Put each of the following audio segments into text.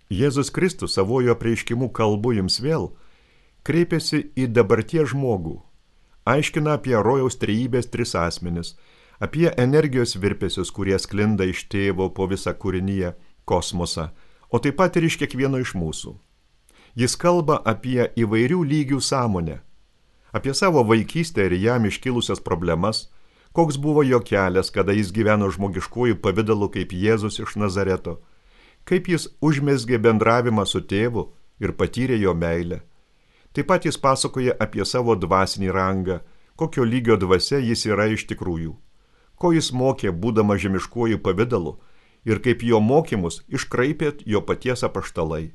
Jėzus Kristus savojo apreiškimu kalbu jums vėl kreipiasi į dabarties žmogų, aiškina apie rojaus trejybės tris asmenis, apie energijos virpesius, kurie sklinda iš tėvo po visą kūrinyje, kosmosą, o taip pat ir iš kiekvieno iš mūsų. Jis kalba apie įvairių lygių sąmonę, apie savo vaikystę ir jam iškilusias problemas, koks buvo jo kelias, kada jis gyveno žmogiškuoju pavidalu kaip Jėzus iš Nazareto, kaip jis užmezgė bendravimą su tėvu ir patyrė jo meilę. Taip pat jis pasakoja apie savo dvasinį rangą, kokio lygio dvasia jis yra iš tikrųjų, ko jis mokė būdama žemiškuoju pavidalu ir kaip jo mokymus iškraipė jo paties apaštalai.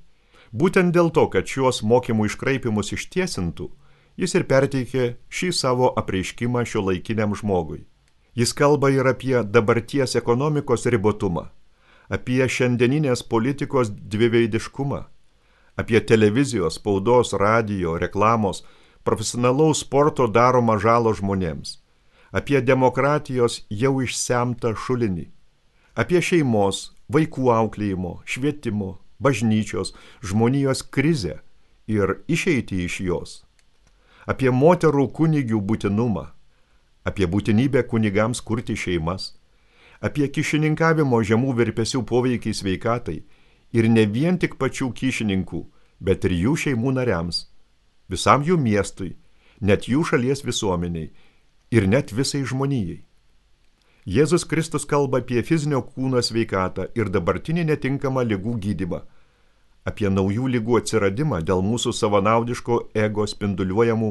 Būtent dėl to, kad šiuos mokymų iškraipimus ištiesintų, jis ir perteikė šį savo apreiškimą šiuolaikiniam žmogui. Jis kalba ir apie dabarties ekonomikos ribotumą, apie šiandieninės politikos dviveidiškumą, apie televizijos, spaudos, radijo, reklamos, profesionalaus sporto daromą žalą žmonėms, apie demokratijos jau išsemtą šulinį, apie šeimos, vaikų auklėjimo, švietimo, bažnyčios, žmonijos krizę ir išeitį iš jos, apie moterų kunigių būtinumą, apie būtinybę kunigams kurti šeimas, apie kyšininkavimo žemų virpesių poveikį sveikatai ir ne vien tik pačių kyšininkų, bet ir jų šeimų nariams, visam jų miestui, net jų šalies visuomeniai ir net visai žmonijai. Jėzus Kristus kalba apie fizinio kūno sveikatą ir dabartinį netinkamą ligų gydymą, apie naujų ligų atsiradimą dėl mūsų savanaudiško ego spinduliuojamų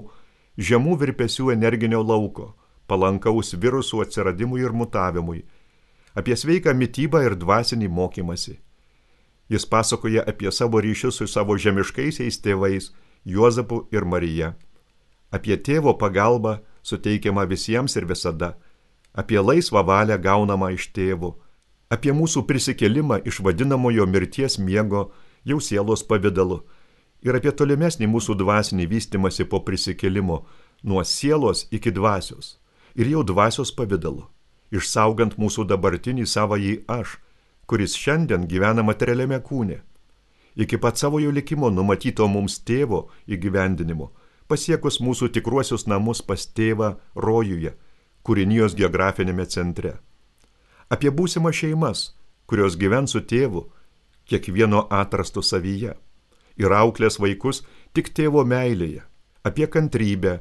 žemų virpesių energinio lauko, palankaus virusų atsiradimui ir mutavimui, apie sveiką mitybą ir dvasinį mokymasi. Jis pasakoja apie savo ryšius su savo žemiškaisiais tėvais Juozapu ir Marija, apie tėvo pagalbą suteikiamą visiems ir visada, apie laisvą valią gaunamą iš tėvo, apie mūsų prisikėlimą iš vadinamojo mirties miego jau sielos pavidalu ir apie tolimesnį mūsų dvasinį vystymąsi po prisikėlimo nuo sielos iki dvasios ir jau dvasios pavidalu, išsaugant mūsų dabartinį savąjį aš, kuris šiandien gyvena materialiame kūne, iki pat savojo likimo numatyto mums tėvo įgyvendinimo, pasiekus mūsų tikruosius namus pas tėvą rojuje, kūrinijos geografinėme centre. Apie būsimą šeimas, kurios gyvens su tėvu, kiekvieno atrastu savyje, ir auklės vaikus tik tėvo meilėje, apie kantrybę,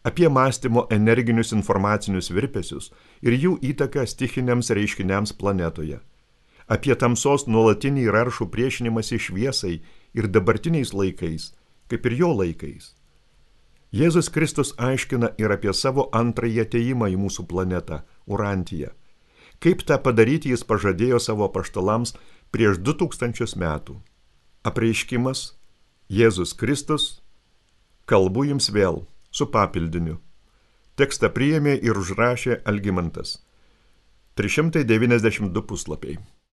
apie mąstymo energinius informacinius virpesius ir jų įtaką stichiniams reiškiniams planetoje, apie tamsos nuolatinį ir aršų priešinimąsi šviesai ir dabartiniais laikais, kaip ir jo laikais. Jėzus Kristus aiškina ir apie savo antrąjį atėjimą į mūsų planetą, Urantiją. Kaip tą padaryti jis pažadėjo savo apaštalams prieš 2000 metų. Apreiškimas Jėzus Kristus, kalbu jums vėl, su papildiniu. Tekstą priėmė ir užrašė Algimantas. 392 puslapiai.